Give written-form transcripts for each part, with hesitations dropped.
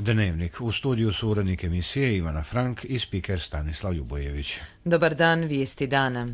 Dnevnik. U studiju su urednik emisije Ivana Frank i spiker Stanislav Ljubojević. Dobar dan, vijesti dana.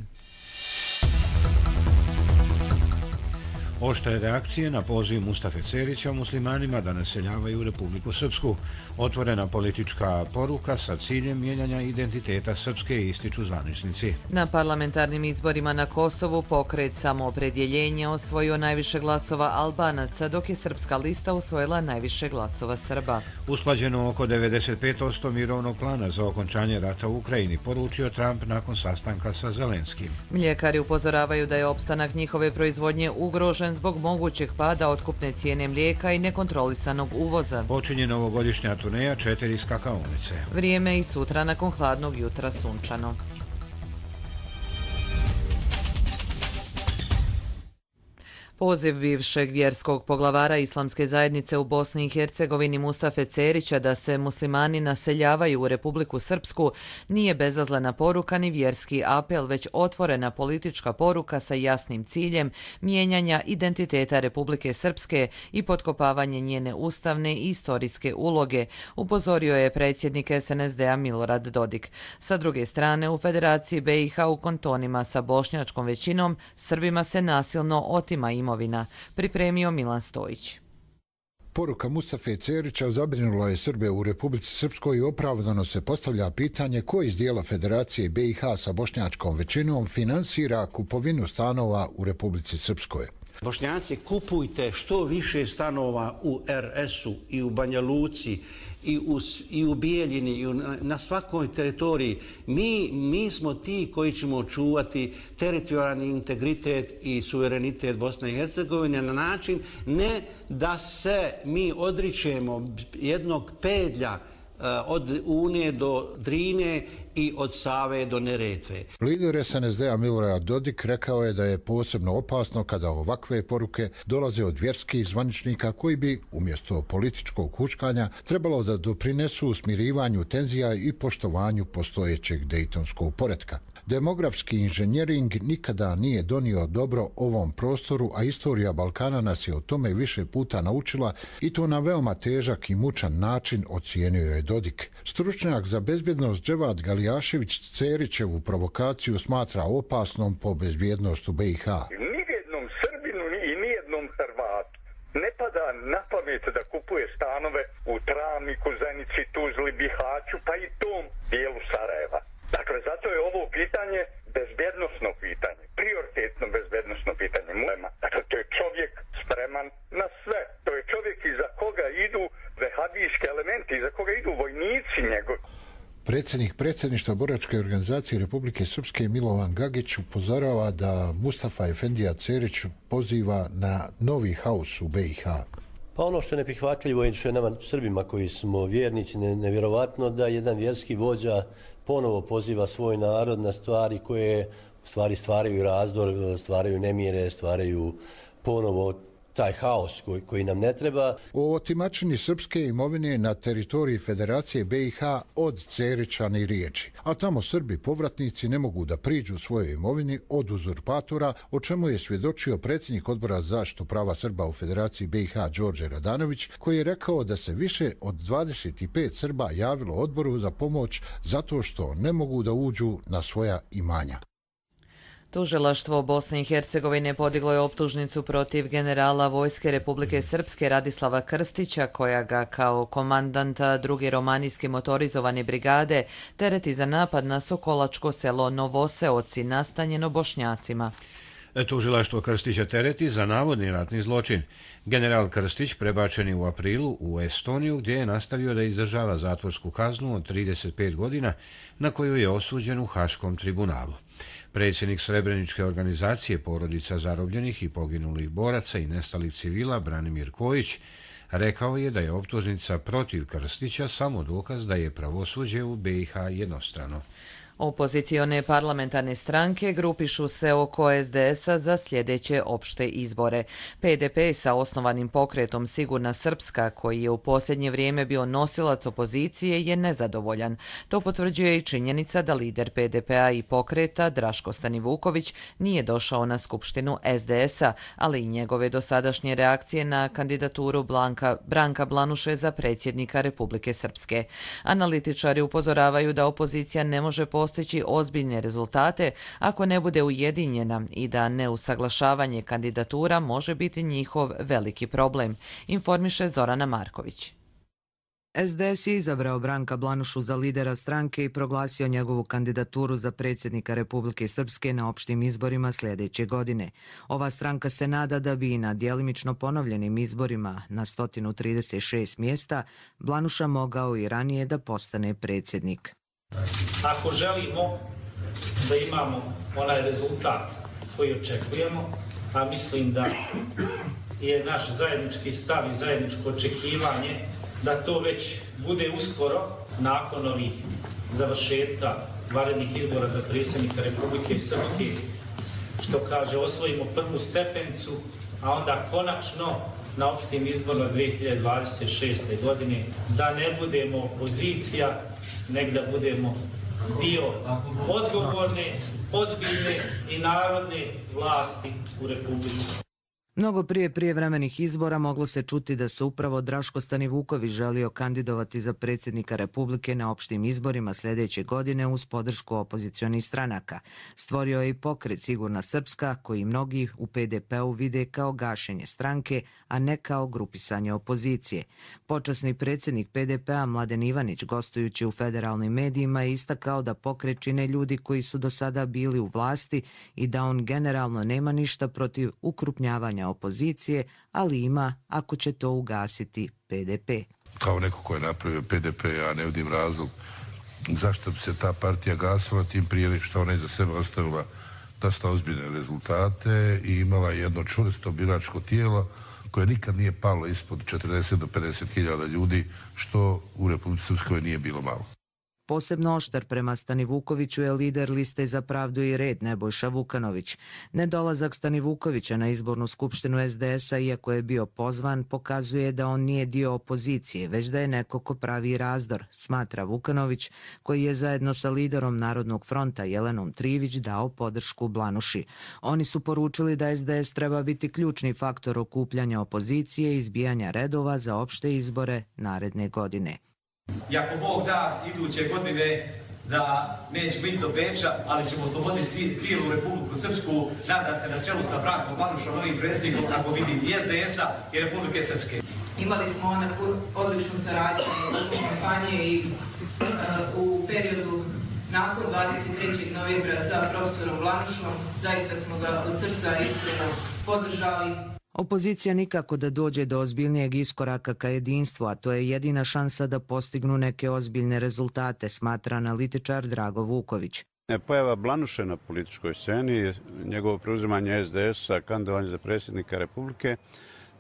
Oštre reakcije na poziv Mustafe Cerića muslimanima da naseljavaju Republiku Srpsku. Otvorena politička poruka sa ciljem mijenjanja identiteta Srpske, ističu zvaničnici. Na parlamentarnim izborima na Kosovu pokret Samoopredjeljenje osvojio najviše glasova Albanaca, dok je Srpska lista usvojila najviše glasova Srba. Usklađeno oko 95% mirovnog plana za okončanje rata u Ukrajini, poručio Trump nakon sastanka sa Zelenskim. Mljekari upozoravaju da je opstanak njihove proizvodnje ugrožen zbog mogućeg pada otkupne cijene mlijeka i nekontrolisanog uvoza. Počinje novogodišnja turneja 4 skakaonice. Vrijeme i sutra nakon hladnog jutra sunčano. Poziv bivšeg vjerskog poglavara islamske zajednice u Bosni i Hercegovini Mustafe Cerića da se muslimani naseljavaju u Republiku Srpsku nije bezazlena poruka ni vjerski apel, već otvorena politička poruka sa jasnim ciljem mijenjanja identiteta Republike Srpske i potkopavanje njene ustavne i istorijske uloge, upozorio je predsjednik SNSD-a Milorad Dodik. Sa druge strane, u Federaciji BiH u kantonima sa bošnjačkom većinom Srbima se nasilno otima imovina, pripremio Milan Stojić. Poruka Mustafe Cerića zabrinula je Srbe u Republici Srpskoj i opravdano se postavlja pitanje ko iz dijela Federacije BiH sa bošnjačkom većinom finansira kupovinu stanova u Republici Srpskoj. Bošnjaci, kupujte što više stanova u RS-u i u Banja Luci i u Bijeljini i na svakoj teritoriji. Mi smo ti koji ćemo čuvati teritorijalni integritet i suverenitet Bosne i Hercegovine na način ne da se mi odričemo jednog pedlja od Une do Drine i od Save do Neretve. Lider SNSD-a Milorad Dodik rekao je da je posebno opasno kada ovakve poruke dolaze od vjerskih zvaničnika koji bi, umjesto političkog huškanja, trebalo da doprinesu smirivanju tenzija i poštovanju postojećeg dejtonskog poretka. Demografski inženjering nikada nije donio dobro ovom prostoru, a istorija Balkana nas je o tome više puta naučila i to na veoma težak i mučan način, ocijenio je Dodik. Stručnjak za bezbjednost Dževad Galijašević Cerićevu provokaciju smatra opasnom po bezbjednost u BiH. Nijednom Srbinu i nijednom Hrvatu ne pada na pamet da kupuje stanove u Travniku, Zenici, Tuzli, Bihaću, pa i tom dijelu Sarajeva. Dakle, zato je ovo pitanje bezbjednosno pitanje, prioritetno bezbjednosno pitanje. Dakle, to je čovjek spreman na sve. To je čovjek iza koga idu vehabijski elementi, iza koga idu vojnici njegovi. Predsjednik predsjedništva boračke organizacije Republike Srpske Milovan Gagić upozorava da Mustafa Efendija Cerić poziva na novi haos u BiH. Pa ono što je neprihvatljivo i što je nama Srbima koji smo vjernici nevjerovatno da jedan vjerski vođa ponovo poziva svoj narod na stvari koje stvaraju razdor, stvaraju nemire, stvaraju ponovo taj haos koji nam ne treba. O otimačini srpske imovine na teritoriji Federacije BiH od Cerića ni riječi, a tamo Srbi povratnici ne mogu da priđu svojoj imovini od uzurpatora, o čemu je svjedočio predsjednik Odbora za zaštitu prava Srba u Federaciji BiH Đorđe Radanović, koji je rekao da se više od 25 Srba javilo odboru za pomoć zato što ne mogu da uđu na svoja imanja. Tužilaštvo Bosne i Hercegovine podiglo je optužnicu protiv generala Vojske Republike Srpske Radislava Krstića, koja ga kao komandanta druge romanijske motorizovane brigade tereti za napad na Sokolačko selo Novoseoci, nastanjeno Bošnjacima. Tužilaštvo Krstića tereti za navodni ratni zločin. General Krstić prebačen je u aprilu u Estoniju, gdje je nastavio da izdržava zatvorsku kaznu od 35 godina na koju je osuđen u Haškom tribunalu. Predsjednik Srebreničke organizacije porodica zarobljenih i poginulih boraca i nestalih civila Branimir Kojić rekao je da je optužnica protiv Krstića samo dokaz da je pravosuđe u BiH jednostrano. Opozicione parlamentarne stranke grupišu se oko SDS-a za sljedeće opšte izbore. PDP sa osnovanim pokretom Sigurna Srpska, koji je u posljednje vrijeme bio nosilac opozicije, je nezadovoljan. To potvrđuje i činjenica da lider PDP-a i pokreta Draško Stanivuković nije došao na skupštinu SDS-a, ali i njegove dosadašnje reakcije na kandidaturu Branka Blanuše za predsjednika Republike Srpske. Analitičari upozoravaju da opozicija ne može postići ozbiljne rezultate ako ne bude ujedinjena i da neusaglašavanje kandidatura može biti njihov veliki problem, informiše Zorana Marković. SDS je izabrao Branka Blanušu za lidera stranke i proglasio njegovu kandidaturu za predsjednika Republike Srpske na opštim izborima sljedeće godine. Ova stranka se nada da bi i na djelimično ponovljenim izborima na 136 mjesta Blanuša mogao i ranije da postane predsjednik. Ako želimo da imamo onaj rezultat koji očekujemo, a mislim da je naš zajednički stav i zajedničko očekivanje da to već bude uskoro nakon ovih završetka vanrednih izbora za predsjednika Republike Srpske, što kaže osvojimo prvu stepenicu, a onda konačno na opštim izborima 2026. godine da ne budemo opozicija, nego da budemo dio odgovorne, ozbiljne i narodne vlasti u Republici. Mnogo prije prijevremenih izbora moglo se čuti da se upravo Draško Stanivuković želio kandidovati za predsjednika Republike na opštim izborima sljedeće godine uz podršku opozicionih stranaka. Stvorio je i pokret Sigurna Srpska, koji mnogi u PDP-u vide kao gašenje stranke, a ne kao grupisanje opozicije. Počasni predsjednik PDP-a Mladen Ivanić, gostujući u federalnim medijima, je istakao da pokret čine ljudi koji su do sada bili u vlasti i da on generalno nema ništa protiv ukrupnjavanja opozicije, ali ima ako će to ugasiti PDP. Kao neko ko je napravio PDP, ja ne vidim razlog zašto bi se ta partija gasila, tim prije što ona iza sebe ostavila dosta ozbiljne rezultate i imala jedno čvrsto biračko tijelo koje nikad nije palo ispod 40 do 50 hiljada ljudi, što u Republici Srpskoj nije bilo malo. Posebno oštar prema Stanivukoviću je lider liste Za pravdu i red Nebojša Vukanović. Nedolazak Stanivukovića na izbornu skupštinu SDS-a, iako je bio pozvan, pokazuje da on nije dio opozicije, već da je neko ko pravi razdor, smatra Vukanović, koji je zajedno sa liderom Narodnog fronta Jelenom Trivić dao podršku Blanuši. Oni su poručili da SDS treba biti ključni faktor okupljanja opozicije i izbijanja redova za opšte izbore naredne godine. I ako Bog da, iduće godine da nećemo ići do Beča, ali ćemo osloboditi cijelu Republiku Srpsku, nada se na čelu sa Brankom Blanušom, novim predsjednikom, kako vidim, i SDS-a i Republike Srpske. Imali smo odličnu saradnju u kampanji i u periodu nakon 23. novembra sa profesorom Blanušom. Zaista smo ga od srca iskreno podržali. Opozicija nikako da dođe do ozbiljnijeg iskoraka ka jedinstvu, a to je jedina šansa da postignu neke ozbiljne rezultate, smatra analitičar Drago Vuković. Pojava Blanuše na političkoj sceni, njegovo preuzimanje SDS-a, kandidovanje za predsjednika Republike,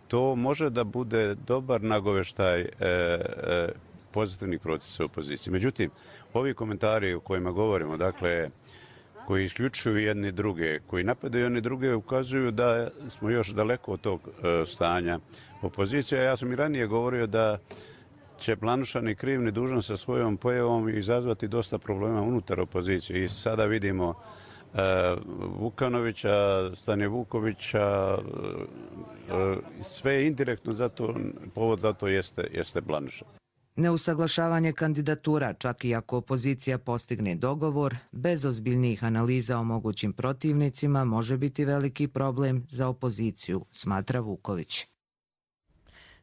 to može da bude dobar nagoveštaj pozitivnih procesa u opoziciji. Međutim, ovi komentari o kojima govorimo, dakle, koji isključuju jedni druge, koji napadaju jedni druge, ukazuju da smo još daleko od tog stanja opozicije. Ja sam i ranije govorio da će Blanuša ni kriv ni dužan sa svojom pojavom izazvati dosta problema unutar opozicije. I sada vidimo Vukanovića, Stanivukovića, sve indirektno zato, povod za to jeste Blanuša. Neusaglašavanje kandidatura, čak i ako opozicija postigne dogovor, bez ozbiljnijih analiza o mogućim protivnicima, može biti veliki problem za opoziciju, smatra Vuković.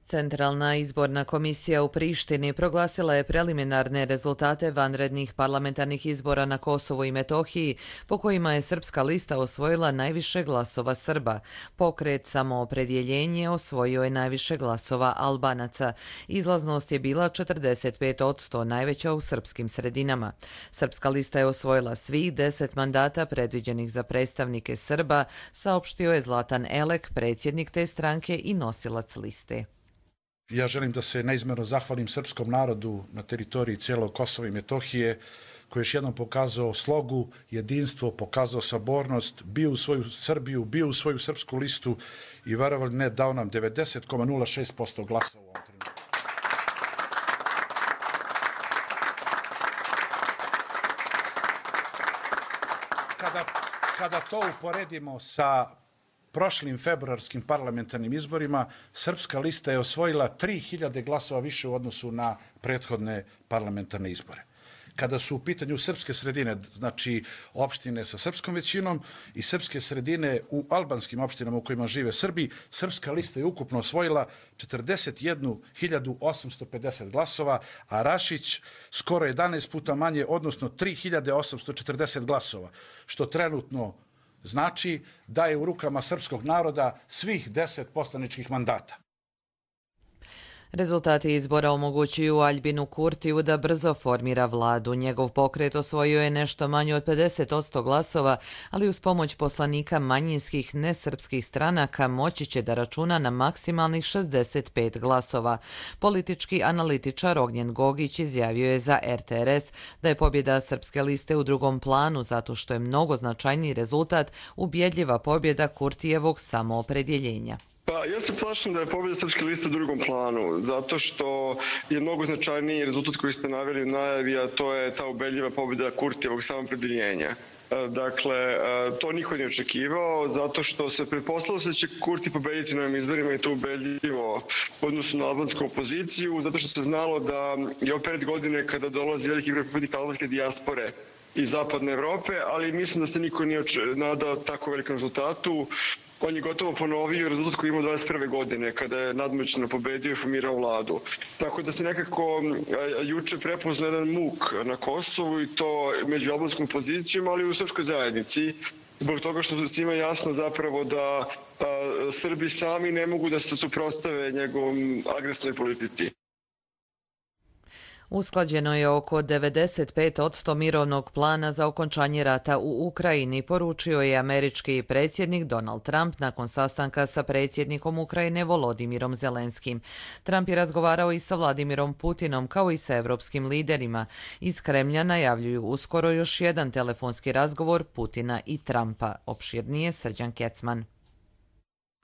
Centralna izborna komisija u Prištini proglasila je preliminarne rezultate vanrednih parlamentarnih izbora na Kosovu i Metohiji, po kojima je srpska lista osvojila najviše glasova Srba. Pokret Samoopredjeljenje osvojio je najviše glasova Albanaca. Izlaznost je bila 45%, najveća u srpskim sredinama. Srpska lista je osvojila svih 10 mandata predviđenih za predstavnike Srba, saopštio je Zlatan Elek, predsjednik te stranke i nosilac liste. Ja želim da se neizmjerno zahvalim srpskom narodu na teritoriji cijelog Kosova i Metohije koji je još jednom pokazao slogu, jedinstvo, pokazao sabornost, bio u svoju Srbiju, bio u svoju srpsku listu i verovali ne, dao nam 90,06% glasova u ovom trenutku. Kada to uporedimo sa prošlim februarskim parlamentarnim izborima, Srpska lista je osvojila 3000 glasova više u odnosu na prethodne parlamentarne izbore. Kada su u pitanju srpske sredine, znači opštine sa srpskom većinom i srpske sredine u albanskim opštinama u kojima žive Srbi, Srpska lista je ukupno osvojila 41.850 glasova, a Rašić skoro 11 puta manje, odnosno 3.840 glasova, što trenutno znači da je u rukama srpskog naroda svih 10 poslaničkih mandata. Rezultati izbora omogućuju Aljbinu Kurtiju da brzo formira vladu. Njegov pokret osvojio je nešto manje od 50% glasova, ali uz pomoć poslanika manjinskih nesrpskih stranaka moći će da računa na maksimalnih 65 glasova. Politički analitičar Ognjen Gogić izjavio je za RTRS da je pobjeda Srpske liste u drugom planu zato što je mnogo značajniji rezultat ubjedljiva pobjeda Kurtijevog samoopredjeljenja. Pa ja se plašim da je pobjeda Srpske liste u drugom planu, zato što je mnogo značajniji rezultat koji ste naveli u najavi, a to je ta ubedljiva pobjeda Kurtijevog samoopredjeljenja. Dakle, to niko nije očekivao, zato što se pretpostavilo da će Kurti pobediti na ovim izborima i to ubedljivo u odnosu na albansku opoziciju, zato što se znalo da je opet godine kada dolazi veliki broj pripadnika albanske dijaspore iz zapadne Evrope, ali mislim da se niko nije nadao tako velikom rezultatu. On je gotovo ponovio rezultat koji imao 21. godine, kada je nadmoćno pobedio i formirao vladu. Tako da se nekako juče prepoznao jedan muk na Kosovu i to među albanskom opozicijom, ali i u srpskoj zajednici. Zbog toga što svima jasno zapravo da Srbi sami ne mogu da se suprotstave njegovom agresivnoj politici. Usklađeno je oko 95% mirovnog plana za okončanje rata u Ukrajini, poručio je američki predsjednik Donald Trump nakon sastanka sa predsjednikom Ukrajine Volodimirom Zelenskim. Trump je razgovarao i sa Vladimirom Putinom kao i sa evropskim liderima. Iz Kremlja najavljuju uskoro još jedan telefonski razgovor Putina i Trumpa. Opširnije Srđan Kecman.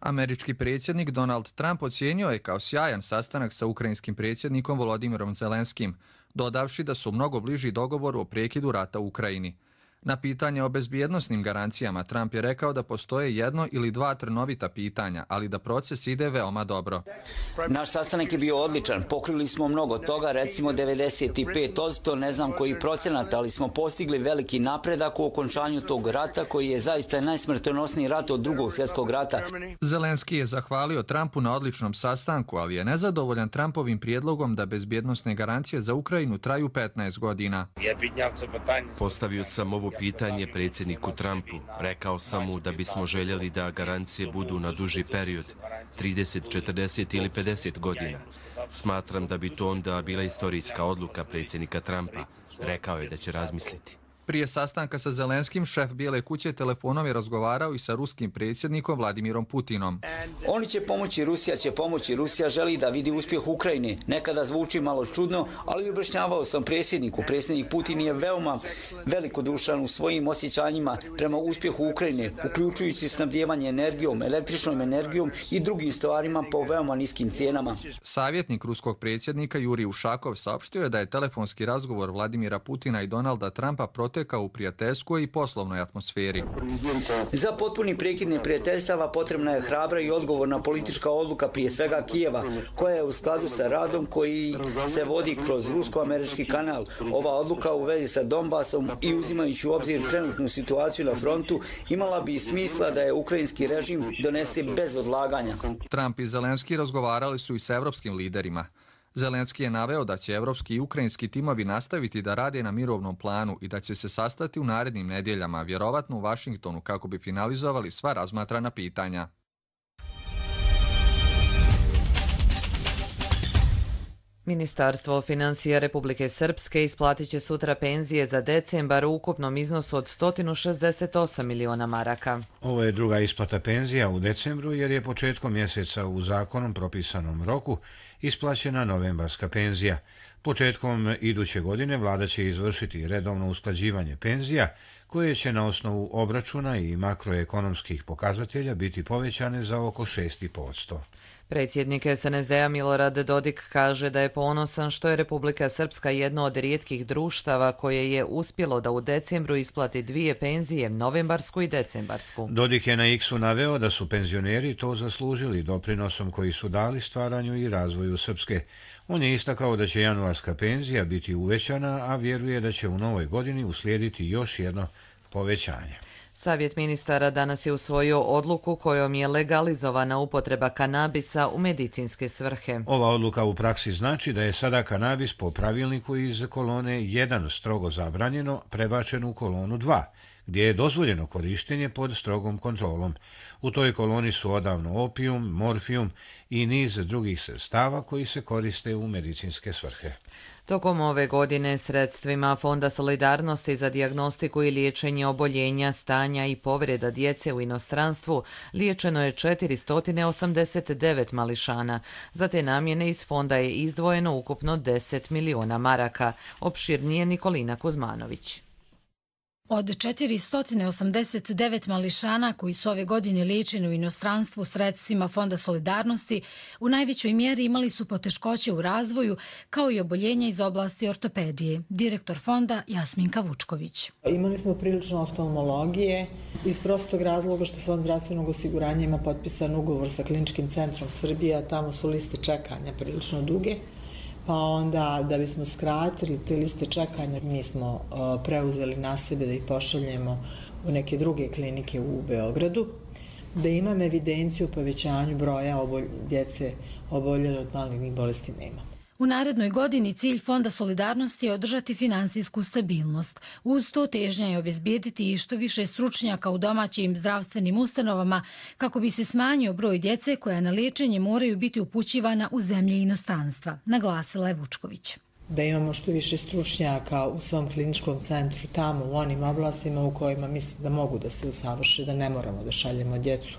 Američki predsjednik Donald Trump ocijenio je kao sjajan sastanak sa ukrajinskim predsjednikom Volodimirom Zelenskim, dodavši da su mnogo bliži dogovoru o prekidu rata u Ukrajini. Na pitanje o bezbjednosnim garancijama Trump je rekao da postoje jedno ili dva trnovita pitanja, ali da proces ide veoma dobro. Naš sastanak je bio odličan, pokrili smo mnogo toga, recimo 95%, ne znam koji procenat, ali smo postigli veliki napredak u okončanju tog rata koji je zaista najsmrtonosniji rat od Drugog svjetskog rata. Zelenski je zahvalio Trumpu na odličnom sastanku, ali je nezadovoljan Trumpovim prijedlogom da bezbjednosne garancije za Ukrajinu traju 15 godina. Postavio sam ovo pitanje predsjedniku Trumpu. Rekao sam mu da bismo željeli da garancije budu na duži period, 30, 40 ili 50 godina. Smatram da bi to onda bila istorijska odluka predsjednika Trumpa. Rekao je da će razmisliti. Prije sastanka sa Zelenskim, šef Bijele kuće telefonom je razgovarao i sa ruskim predsjednikom Vladimirom Putinom. Oni će pomoći, Rusija će pomoći. Rusija želi da vidi uspjeh Ukrajine. Nekada zvuči malo čudno, ali objašnjavao sam predsjedniku. Predsjednik Putin je veoma velikodušan u svojim osjećanjima prema uspjehu Ukrajine, uključujući snabdijevanje energijom, električnom energijom i drugim stvarima po veoma niskim cijenama. Savjetnik ruskog predsjednika Jurij Ušakov saopštio je da je telefonski razgovor Vladimira Putina i Donalda Trumpa protekao u prijateljskoj i poslovnoj atmosferi. Za potpuni prekid neprijateljstava potrebna je hrabra i odgovorna politička odluka, prije svega Kijeva, koja je u skladu sa radom koji se vodi kroz rusko-američki kanal. Ova odluka u vezi sa Donbasom i uzimajući u obzir trenutnu situaciju na frontu imala bi smisla da je ukrajinski režim donese bez odlaganja. Trump i Zelenski razgovarali su i sa evropskim liderima. Zelenski je naveo da će evropski i ukrajinski timovi nastaviti da rade na mirovnom planu i da će se sastati u narednim nedjeljama, vjerovatno u Vašingtonu, kako bi finalizovali sva razmatrana pitanja. Ministarstvo financija Republike Srpske isplatit će sutra penzije za decembar u ukupnom iznosu od 168 miliona maraka. Ovo je druga isplata penzija u decembru jer je početkom mjeseca u zakonom propisanom roku isplaćena novembarska penzija. Početkom iduće godine vlada će izvršiti redovno usklađivanje penzija koje će na osnovu obračuna i makroekonomskih pokazatelja biti povećane za oko 6,5%. Predsjednik SNSD-a Milorad Dodik kaže da je ponosan što je Republika Srpska jedno od rijetkih društava koje je uspjelo da u decembru isplati dvije penzije, novembarsku i decembarsku. Dodik je na X-u naveo da su penzioneri to zaslužili doprinosom koji su dali stvaranju i razvoju Srpske. On je istakao da će januarska penzija biti uvećana, a vjeruje da će u novoj godini uslijediti još jedno povećanje. Savjet ministara danas je usvojio odluku kojom je legalizovana upotreba kanabisa u medicinske svrhe. Ova odluka u praksi znači da je sada kanabis po pravilniku iz kolone 1 strogo zabranjeno prebačen u kolonu 2, gdje je dozvoljeno korištenje pod strogom kontrolom. U toj koloni su odavno opijum, morfijum i niz drugih sredstava koji se koriste u medicinske svrhe. Tokom ove godine sredstvima Fonda solidarnosti za dijagnostiku i liječenje oboljenja, stanja i povreda djece u inostranstvu liječeno je 489 mališana. Za te namjene iz fonda je izdvojeno ukupno 10 miliona maraka. Opširnije Nikolina Kuzmanović. Od 489 mališana koji su ove godine liječeni u inostranstvu sredstvima Fonda solidarnosti u najvećoj mjeri imali su poteškoće u razvoju kao i oboljenja iz oblasti ortopedije. Direktor fonda Jasminka Vučković. Imali smo prilično oftalmologije iz prostog razloga što Fond zdravstvenog osiguranja ima potpisan ugovor sa Kliničkim centrom Srbije, a tamo su liste čekanja prilično duge. Pa onda, da bismo skratili te liste čekanja, mi smo preuzeli na sebe da ih pošaljemo u neke druge klinike u Beogradu, da imam evidenciju o povećanju broja djece oboljele od malignih bolesti nema. U narednoj godini cilj Fonda solidarnosti je održati finansijsku stabilnost. Uz to težnja je obezbijediti i što više stručnjaka u domaćim zdravstvenim ustanovama kako bi se smanjio broj djece koja na liječenje moraju biti upućivana u zemlje i inostranstva, naglasila je Vučković. Da imamo što više stručnjaka u svom kliničkom centru tamo u onim oblastima u kojima mislim da mogu da se usavrše, da ne moramo da šaljemo djecu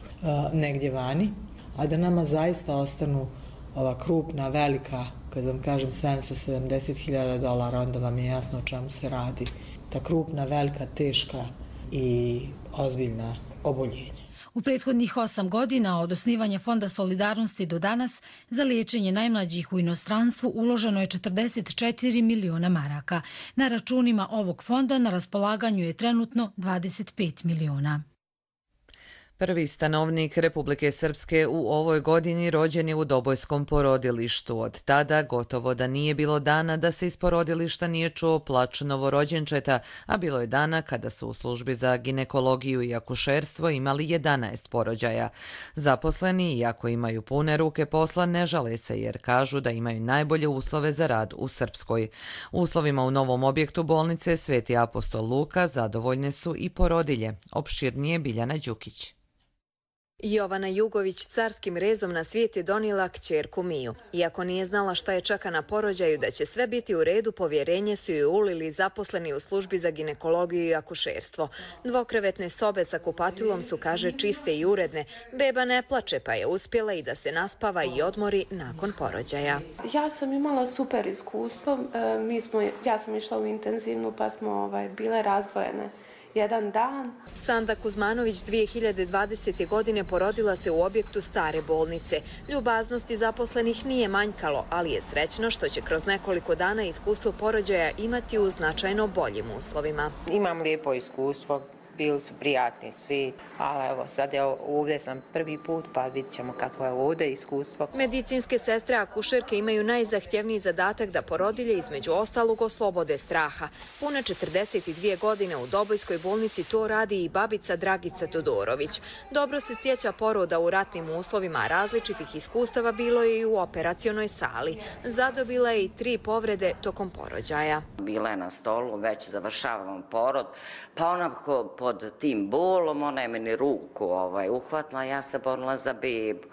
negdje vani, a da nama zaista ostanu ova krupna, velika, kad vam kažem $770.000, onda vam je jasno o čemu se radi. Ta krupna, velika, teška i ozbiljna oboljenja. U prethodnih 8 godina od osnivanja Fonda solidarnosti do danas za liječenje najmlađih u inostranstvu uloženo je 44 miliona maraka. Na računima ovog fonda na raspolaganju je trenutno 25 miliona. Prvi stanovnik Republike Srpske u ovoj godini rođen je u Dobojskom porodilištu. Od tada gotovo da nije bilo dana da se iz porodilišta nije čuo plač novorođenčeta, a bilo je dana kada su u službi za ginekologiju i akušerstvo imali 11 porođaja. Zaposleni, iako imaju pune ruke posla, ne žale se jer kažu da imaju najbolje uslove za rad u Srpskoj. Uslovima u novom objektu bolnice Sveti apostol Luka zadovoljne su i porodilje. Opširnije Biljana Đukić. Jovana Jugović carskim rezom na svijet je donijela kćerku Miju. Iako nije znala šta je čeka na porođaju da će sve biti u redu, povjerenje su joj ulili zaposleni u službi za ginekologiju i akušerstvo. Dvokrevetne sobe sa kupatilom su, kaže, čiste i uredne. Beba ne plače, pa je uspjela i da se naspava i odmori nakon porođaja. Ja sam imala super iskustvo. Ja sam išla u intenzivnu pa smo bile razdvojene jedan dan. Sanda Kuzmanović 2020. godine porodila se u objektu stare bolnice. Ljubaznosti zaposlenih nije manjkalo, ali je srećna što će kroz nekoliko dana iskustvo porođaja imati u značajno boljim uslovima. Imam lijepo iskustvo. Bili su prijatni svi, ali evo sad ovdje sam prvi put pa vidit ćemo kako je ovdje iskustvo. Medicinske sestre akušerke imaju najzahtjevniji zadatak da porodilje između ostalog oslobode straha. Pune 42 godine u Dobojskoj bolnici to radi i babica Dragica Todorović. Dobro se sjeća poroda u ratnim uslovima, različitih iskustava bilo je i u operacionoj sali. Zadobila je i 3 povrede tokom porođaja. Bila je na stolu, već završavam porod, pa onako pod tim bolom, ona je meni ruku uhvatila, ja se borila za bebu.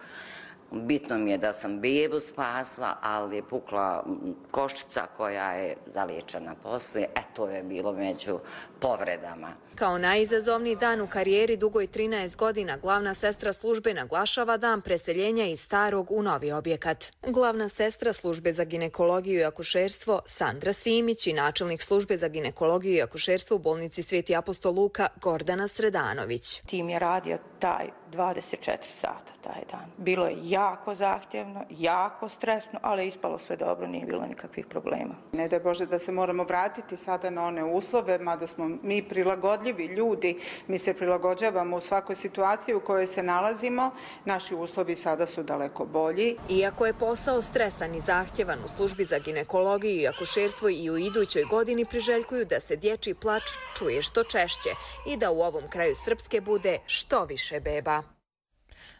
Bitno mi je da sam bebu spasla, ali je pukla koščica koja je zaliječena poslije. To je bilo među povredama. Kao najizazovniji dan u karijeri dugoj 13 godina, glavna sestra službe naglašava dan preseljenja iz starog u novi objekat. Glavna sestra službe za ginekologiju i akušerstvo Sandra Simić i načelnik službe za ginekologiju i akušerstvo u bolnici Sveti apostol Luka Gordana Sredanović. Tim je radio taj 24 sata taj dan. Bilo je jako zahtjevno, jako stresno, ali je ispalo sve dobro, nije bilo nikakvih problema. Ne daj Bože da se moramo vratiti sada na one uslove, mada smo mi prilagodljivi ljudi, mi se prilagođavamo u svakoj situaciji u kojoj se nalazimo, naši uslovi sada su daleko bolji. Iako je posao stresan i zahtjevan, u službi za ginekologiju i akušerstvo i u idućoj godini priželjkuju da se dječji plač čuje što češće i da u ovom kraju Srpske bude što više beba.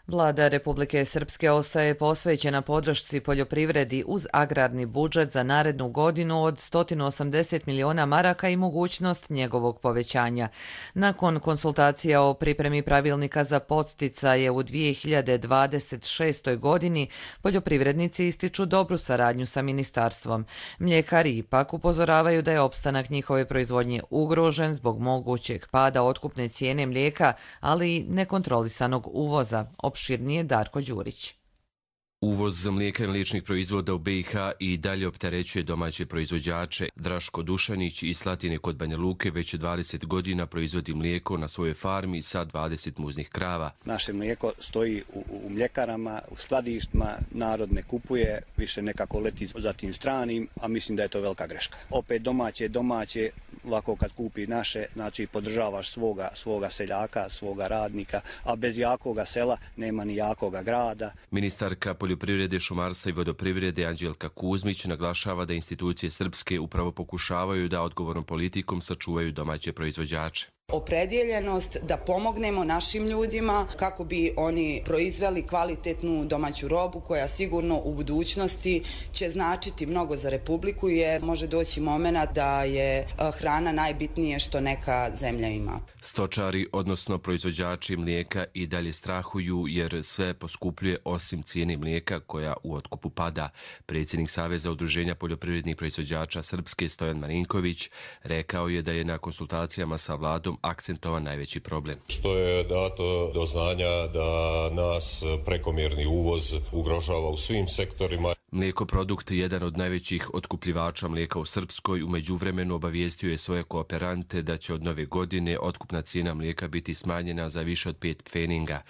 Vlada Republike Srpske ostaje posvećena podršci poljoprivredi uz agrarni budžet za narednu godinu od 180 miliona maraka i mogućnost njegovog povećanja. Nakon konsultacija o pripremi pravilnika za podsticaje u 2026. godini, poljoprivrednici ističu dobru saradnju sa ministarstvom. Mljekari ipak upozoravaju da je opstanak njihove proizvodnje ugrožen zbog mogućeg pada otkupne cijene mlijeka, ali i nekontrolisanog uvoza. Opširnije Darko Đurić. Uvoz mlijeka i mliječnih proizvoda u BiH i dalje opterećuje domaće proizvođače. Draško Dušanić iz Slatine kod Banja Luke već 20 godina proizvodi mlijeko na svojoj farmi sa 20 muznih krava. Naše mlijeko stoji u mljekarama, u skladištima, narod ne kupuje, više nekako leti za tim stranim, a mislim da je to velika greška. Opet domaće, ovako kad kupi naše, znači podržavaš svoga seljaka, svoga radnika, a bez jakoga sela nema ni jakoga grada. Ministarka poljoprivrede, šumarstva i vodoprivrede Anđelka Kuzmić naglašava da institucije srpske upravo pokušavaju da odgovornom politikom sačuvaju domaće proizvođače. Opredjeljenost da pomognemo našim ljudima kako bi oni proizveli kvalitetnu domaću robu koja sigurno u budućnosti će značiti mnogo za Republiku, jer može doći moment da je hrana najbitnije što neka zemlja ima. Stočari, odnosno proizvođači mlijeka, i dalje strahuju jer sve poskupljuje osim cijene mlijeka koja u otkupu pada. Predsjednik Saveza udruženja poljoprivrednih proizvođača Srpske Stojan Marinković rekao je da je na konsultacijama sa vladom akcentovan najveći problem. Što je dato do znanja da nas prekomjerni uvoz ugrožava u svim sektorima. Mlijekoprodukt, jedan od najvećih otkupljivača mlijeka u Srpskoj, u međuvremenu obavijestio je svoje kooperante da će od nove godine otkupna cijena mlijeka biti smanjena za više od 5 pfeninga.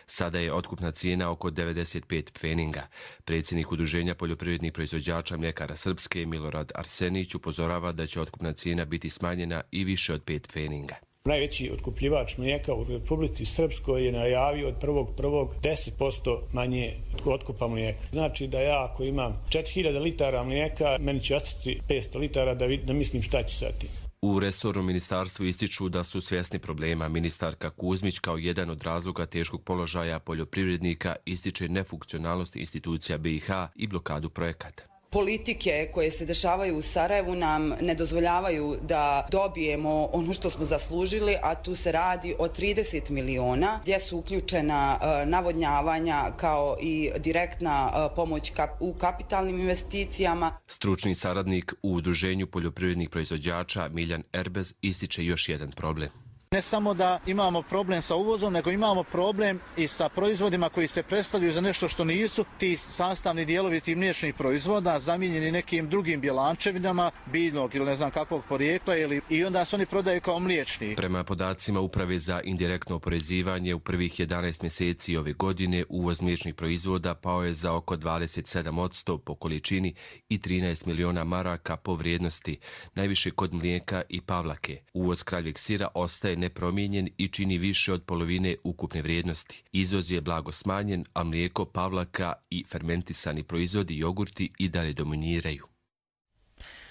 Sada je otkupna cijena oko 95 pfeninga. Predsjednik Udruženja poljoprivrednih proizvođača mljekara Srpske Milorad Arsenić upozorava da će otkupna cijena biti smanjena i više od 5 pfeninga. Najveći otkupljivač mlijeka u Republici Srpskoj je najavio od 1.1. 10% manje otkupa mlijeka. Znači da ja ako imam 4000 litara mlijeka, meni će ostati 500 litara da mislim šta će sa tim. U resornom ministarstvu ističu da su svjesni problema. Ministarka Kuzmić kao jedan od razloga teškog položaja poljoprivrednika ističe nefunkcionalnost institucija BiH i blokadu projekata. Politike koje se dešavaju u Sarajevu nam ne dozvoljavaju da dobijemo ono što smo zaslužili, a tu se radi o 30 miliona gdje su uključena navodnjavanja kao i direktna pomoć u kapitalnim investicijama. Stručni saradnik u Udruženju poljoprivrednih proizvođača Miljan Erbez ističe još jedan problem. Ne samo da imamo problem sa uvozom, nego imamo problem i sa proizvodima koji se predstavljaju za nešto što nisu. Ti sastavni dijelovi tih mliječnih proizvoda zamijenjeni nekim drugim bjelančevinama, biljnog ili ne znam kakvog porijekla, i onda se oni prodaju kao mliječni. Prema podacima Uprave za indirektno oporezivanje, u prvih 11 mjeseci ove godine uvoz mliječnih proizvoda pao je za oko 27% po količini i 13 miliona maraka po vrijednosti, najviše kod mlijeka i pavlake. Uvoz kravljeg sira ostaje nepromijenjen i čini više od polovine ukupne vrijednosti. Izvoz je blago smanjen, a mlijeko, pavlaka i fermentisani proizvodi, jogurti i dalje dominiraju.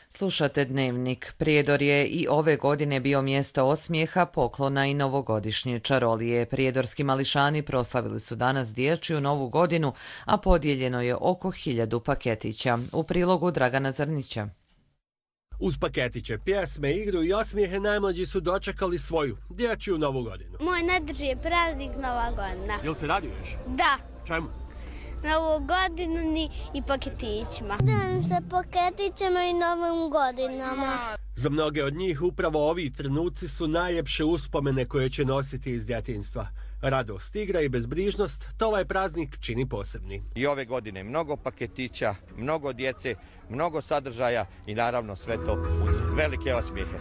Slušate Dnevnik. Prijedor je i ove godine bio mjesto osmijeha, poklona i novogodišnje čarolije. Prijedorski mališani proslavili su danas dječju novu godinu, a podijeljeno je oko 1000 paketića. U prilogu Dragana Zrnića. Uz paketiće, pjesme, igru i osmijehe najmlađi su dočekali svoju dječju novu godinu. Moj najdrži je praznik Nova godina. Jel se raduješ? Da. Čemu? Novu godinu i paketićima. Radujem se paketićima i novim godinama. Za mnoge od njih upravo ovi trenuci su najljepše uspomene koje će nositi iz djetinjstva. Radost, igra i bezbrižnost, to ovaj praznik čini posebni. I ove godine mnogo paketića, mnogo djece, mnogo sadržaja i naravno sve to uz velike osmijehe.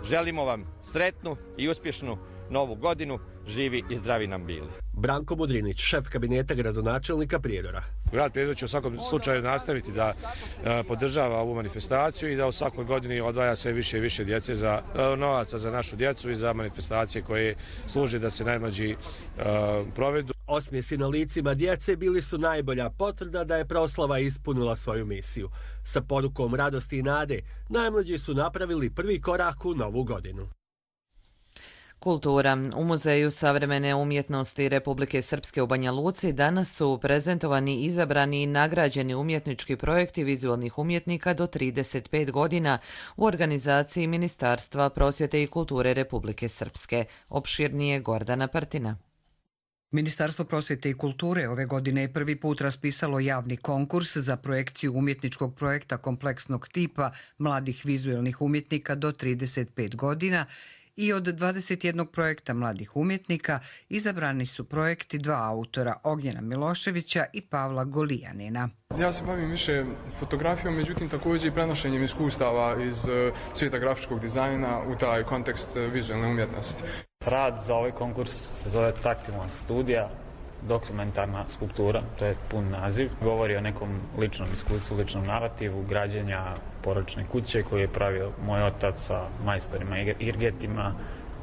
Želimo vam sretnu i uspješnu novu godinu, živi i zdravi nam bili. Branko Mudrinić, šef kabineta gradonačelnika Prijedora. Grad Prijedor će u svakom slučaju nastaviti da podržava ovu manifestaciju i da u svakoj godini odvaja sve više i više djece novaca za našu djecu i za manifestacije koje služe da se najmlađi provedu. Osmijesi na licima djece bili su najbolja potvrda da je proslava ispunila svoju misiju. Sa porukom radosti i nade, najmlađi su napravili prvi korak u novu godinu. Kultura. U Muzeju savremene umjetnosti Republike Srpske u Banja Luci danas su prezentovani, izabrani i nagrađeni umjetnički projekti vizualnih umjetnika do 35 godina u organizaciji Ministarstva prosvjete i kulture Republike Srpske. Opširnije Gordana Partina. Ministarstvo prosvjete i kulture ove godine je prvi put raspisalo javni konkurs za projekciju umjetničkog projekta kompleksnog tipa mladih vizualnih umjetnika do 35 godina i od 21 projekta mladih umjetnika izabrani su projekti dva autora, Ognjena Miloševića i Pavla Golijanina. Ja se bavim više fotografijom, međutim također i prenošenjem iskustava iz svijeta grafičkog dizajna u taj kontekst vizualne umjetnosti. Rad za ovaj konkurs se zove Taktilna studija, dokumentarna skulptura, to je pun naziv. Govori o nekom ličnom iskustvu, ličnom narativu, građenja porodične kuće koju je pravio moj otac sa majstorima Irgetima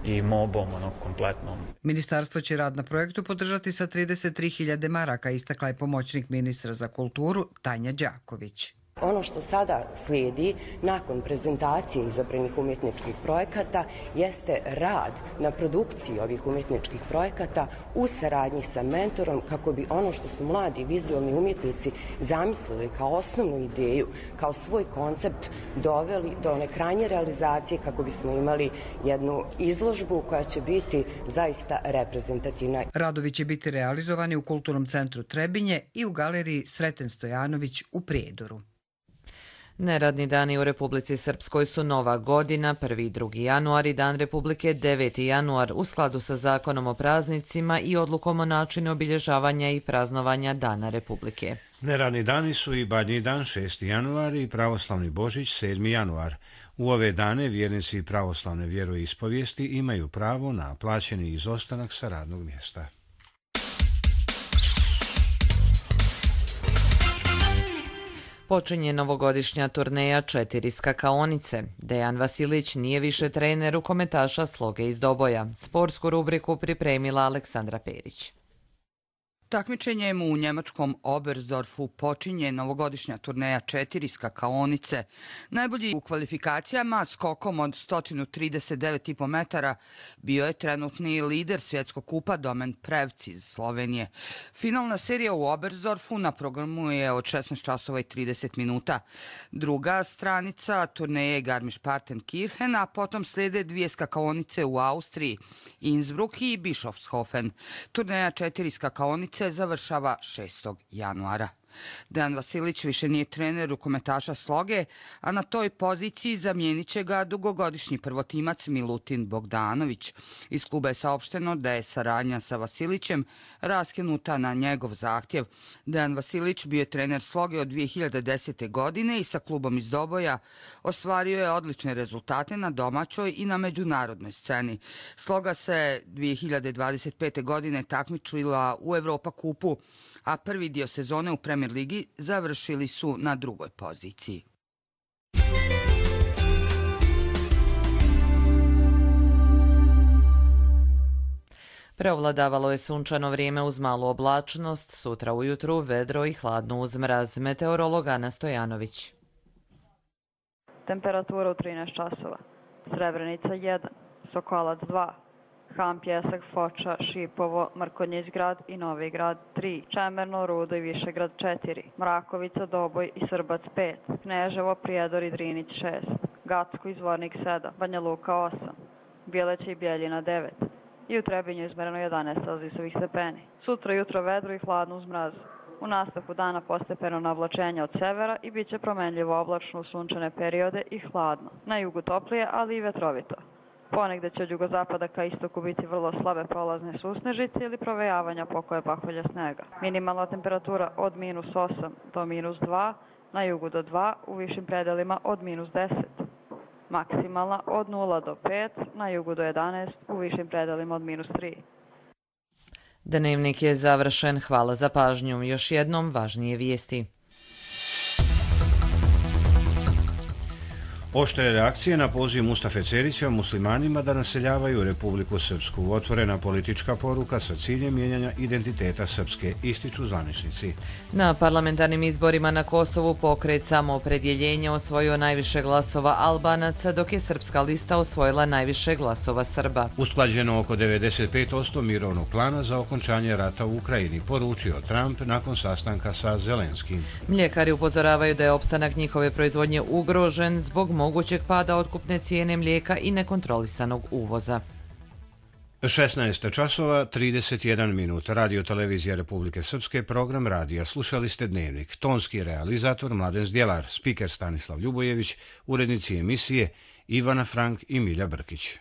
i mobom, kompletnom. Ministarstvo će rad na projektu podržati sa 33.000 maraka, istakla je pomoćnik ministra za kulturu Tanja Đaković. Ono što sada slijedi nakon prezentacije izabranih umjetničkih projekata jeste rad na produkciji ovih umjetničkih projekata u saradnji sa mentorom kako bi ono što su mladi vizualni umjetnici zamislili kao osnovnu ideju, kao svoj koncept doveli do one krajnje realizacije kako bismo imali jednu izložbu koja će biti zaista reprezentativna. Radovi će biti realizovani u Kulturnom centru Trebinje i u galeriji Sreten Stojanović u Prijedoru. Neradni dani u Republici Srpskoj su Nova godina, 1. i 2. januar i Dan Republike 9. januar u skladu sa zakonom o praznicima i odlukom o načinu obilježavanja i praznovanja Dana Republike. Neradni dani su i Badnji dan 6. januar i Pravoslavni Božić 7. januar. U ove dane vjernici pravoslavne vjeroispovijesti imaju pravo na plaćeni izostanak sa radnog mjesta. Počinje novogodišnja turneja 4 skakaonice. Dejan Vasilić nije više trener rukometaša Sloge iz Doboja. Sportsku rubriku pripremila Aleksandra Perić. Takmičenjem u njemačkom Oberstdorfu počinje novogodišnja turneja 4 skakaonice. Najbolji u kvalifikacijama skokom od 139,5 metara bio je trenutni lider svjetskog kupa Domen Prevc iz Slovenije. Finalna serija u Oberstdorfu na programu je od 16 časova i 30 minuta. Druga stranica turneje je Garmisch-Partenkirchen, a potom slijede dvije skakaonice u Austriji, Innsbruck i Bischofshofen. Turneja 4 skakaonice završava 6. januara. Dejan Vasilić više nije trener rukometaša Sloge, a na toj poziciji zamijenit će ga dugogodišnji prvotimac Milutin Bogdanović. Iz kluba je saopšteno da je saradnja sa Vasilićem raskinuta na njegov zahtjev. Dejan Vasilić bio je trener Sloge od 2010. godine i sa klubom iz Doboja ostvario je odlične rezultate na domaćoj i na međunarodnoj sceni. Sloga se 2025. godine takmičila u Evropa kupu, a prvi dio sezone u Premier ligi završili su na drugoj poziciji. Preovladavalo je sunčano vrijeme uz malu oblačnost, sutra ujutru vedro i hladno uz mraz. Meteorolog Ana Stojanović. Temperatura u 13 časova. Srebrenica 1, Sokolac 2, Han, Pjesak, Foča, Šipovo, Mrkonjić grad i Novi grad 3, Čemerno, Rudo i Višegrad 4, Mrakovica, Doboj i Srbac 5, Kneževo, Prijedor i Drinić 6, Gacko i Zvornik 7, Banja Luka 8, Bjeleće i Bjeljina 9 i u Trebinju izmereno 11 celzijusovih stepeni. Sutra jutro vedro i hladno uz mraz. U nastavku dana postepeno navlačenje od severa i bit će promenljivo oblačno u sunčane periode i hladno. Na jugu toplije, ali i vetrovito. Ponegde će od jugozapada ka istoku biti vrlo slabe prolazne susnežice ili provejavanja pokoje pahulja snega. Minimalna temperatura od -8 do -2, na jugu do 2, u višim predelima od -10. Maksimalna od 0 do 5, na jugu do 11, u višim predelima od -3. Dnevnik je završen. Hvala za pažnju. Još jednom važnije vijesti. Oštre reakcije na poziv Mustafe Cerića muslimanima da naseljavaju Republiku Srpsku. Otvorena politička poruka sa ciljem mijenjanja identiteta Srpske, ističu zvaničnici. Na parlamentarnim izborima na Kosovu pokret Samoopredjeljenje osvojio najviše glasova Albanaca, dok je Srpska lista osvojila najviše glasova Srba. Usklađeno oko 95% mirovnog plana za okončanje rata u Ukrajini, poručio Trump nakon sastanka sa Zelenskim. Mljekari upozoravaju da je opstanak njihove proizvodnje ugrožen zbog mogućeg pada otkupne cijene mlijeka i nekontrolisanog uvoza. 16 časova 31 minut. Radio televizija Republike Srpske, program radija. Slušali ste Dnevnik. Tonski realizator Mladen Zdjelar, spiker Stanislav Ljubojević, urednici emisije Ivana Frank i Milja Brkić.